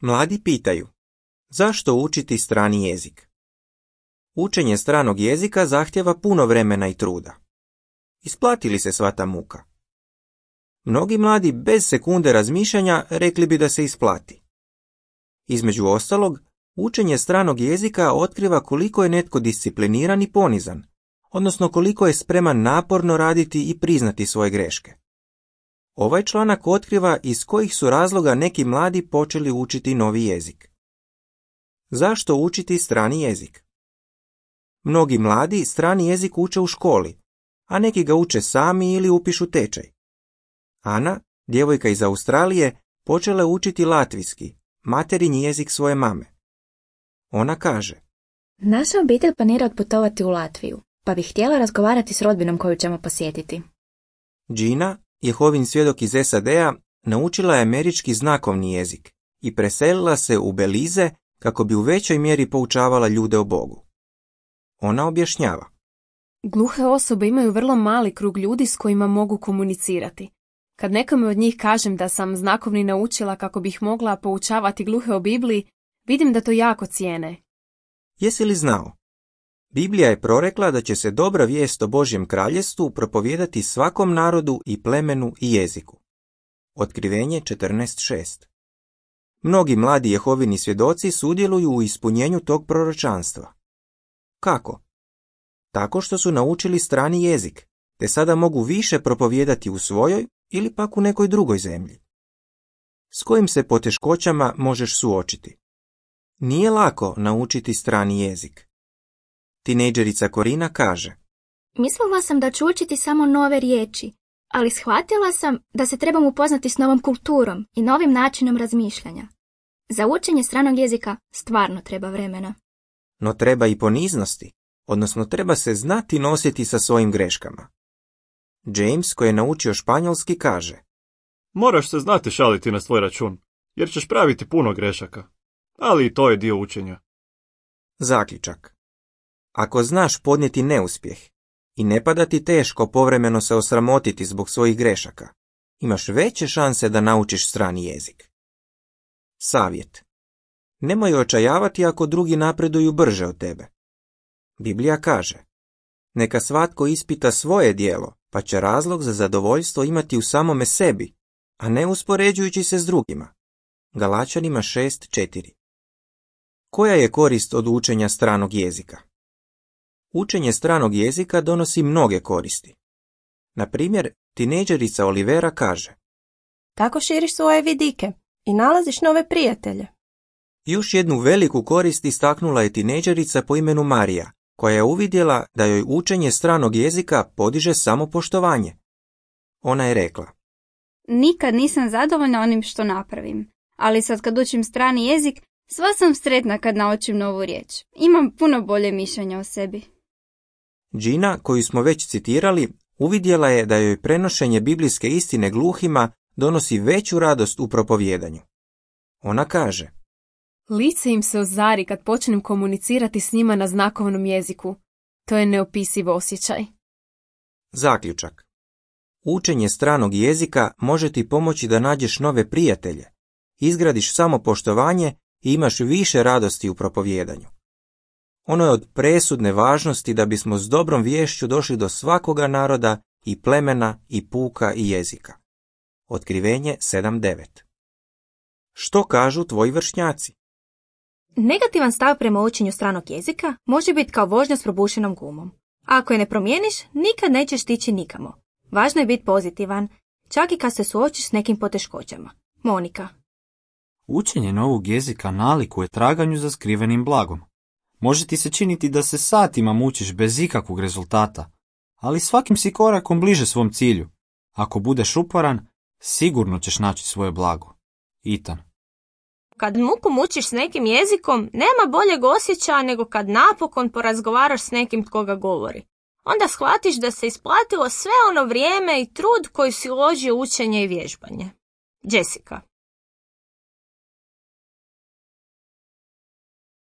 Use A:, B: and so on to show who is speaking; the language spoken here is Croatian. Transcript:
A: Mladi pitaju, zašto učiti strani jezik? Učenje stranog jezika zahtjeva puno vremena i truda. Isplati li se sva ta muka? Mnogi mladi bez sekunde razmišljanja rekli bi da se isplati. Između ostalog, učenje stranog jezika otkriva koliko je netko discipliniran i ponizan, odnosno koliko je spreman naporno raditi i priznati svoje greške. Ovaj članak otkriva iz kojih su razloga neki mladi počeli učiti novi jezik. Zašto učiti strani jezik? Mnogi mladi strani jezik uče u školi, a neki ga uče sami ili upišu tečaj. Ana, djevojka iz Australije, počela je učiti latvijski, materinji jezik svoje mame. Ona kaže:
B: Naša obitelj planira otputovati u Latviju, pa bih htjela razgovarati s rodbinom koju ćemo posjetiti.
A: Gina, Jehovin svjedok iz SAD-a, naučila je američki znakovni jezik i preselila se u Belize kako bi u većoj mjeri poučavala ljude o Bogu. Ona objašnjava:
C: Gluhe osobe imaju vrlo mali krug ljudi s kojima mogu komunicirati. Kad nekome od njih kažem da sam znakovni naučila kako bih mogla poučavati gluhe o Bibliji, vidim da to jako cijene.
A: Jesi li znao? Biblija je prorekla da će se dobra vijest o Božjem kraljestvu propovijedati svakom narodu i plemenu i jeziku. Otkrivenje 14.6. Mnogi mladi Jehovini svjedoci sudjeluju u ispunjenju tog proročanstva. Kako? Tako što su naučili strani jezik, te sada mogu više propovijedati u svojoj ili pak u nekoj drugoj zemlji. S kojim se poteškoćama možeš suočiti? Nije lako naučiti strani jezik. Tinejdžerica Korina kaže:
D: Mislila sam da ću učiti samo nove riječi, ali shvatila sam da se trebam upoznati s novom kulturom i novim načinom razmišljanja. Za učenje stranog jezika stvarno treba vremena.
A: No treba i poniznosti, odnosno treba se znati nositi sa svojim greškama. James, koji je naučio španjolski, kaže:
E: Moraš se znati šaliti na svoj račun, jer ćeš praviti puno grešaka. Ali i to je dio učenja.
A: Zaključak. Ako znaš podnijeti neuspjeh i ne pada ti teško povremeno se osramotiti zbog svojih grešaka, imaš veće šanse da naučiš strani jezik. Savjet. Nemoj očajavati ako drugi napreduju brže od tebe. Biblija kaže: Neka svatko ispita svoje djelo, pa će razlog za zadovoljstvo imati u samome sebi, a ne uspoređujući se s drugima. Galačanima 6.4. Koja je korist od učenja stranog jezika? Učenje stranog jezika donosi mnoge koristi. Na primjer, tinejdžerica Olivera kaže:
F: Tako širiš svoje vidike i nalaziš nove prijatelje.
A: Još jednu veliku korist istaknula je tinejdžerica po imenu Marija, koja je uvidjela da joj učenje stranog jezika podiže samopoštovanje. Ona je rekla:
G: Nikad nisam zadovoljna onim što napravim, ali sad kad učim strani jezik, sva sam sretna kad naučim novu riječ. Imam puno bolje mišljenje o sebi.
A: Gina, koju smo već citirali, uvidjela je da joj prenošenje biblijske istine gluhima donosi veću radost u propovijedanju. Ona kaže:
C: Lice im se ozari kad počnem komunicirati s njima na znakovnom jeziku. To je neopisiv osjećaj.
A: Zaključak. Učenje stranog jezika može ti pomoći da nađeš nove prijatelje, izgradiš samopoštovanje i imaš više radosti u propovijedanju. Ono je od presudne važnosti da bismo s dobrom viješću došli do svakoga naroda i plemena i puka i jezika. Otkrivenje 7.9. Što kažu tvoji vršnjaci?
B: Negativan stav prema učenju stranog jezika može biti kao vožnja s probušenom gumom. Ako je ne promijeniš, nikad nećeš stići nikamo. Važno je biti pozitivan, čak i kad se suočiš s nekim poteškoćama. Monika.
H: Učenje novog jezika nalikuje traganju za skrivenim blagom. Može ti se činiti da se satima mučiš bez ikakvog rezultata, ali svakim si korakom bliže svom cilju. Ako budeš uporan, sigurno ćeš naći svoje blago. Ethan.
I: Kad muku mučiš s nekim jezikom, nema boljeg osjećaja nego kad napokon porazgovaraš s nekim tko ga govori. Onda shvatiš da se isplatilo sve ono vrijeme i trud koji si uložio u učenje i vježbanje. Jessica.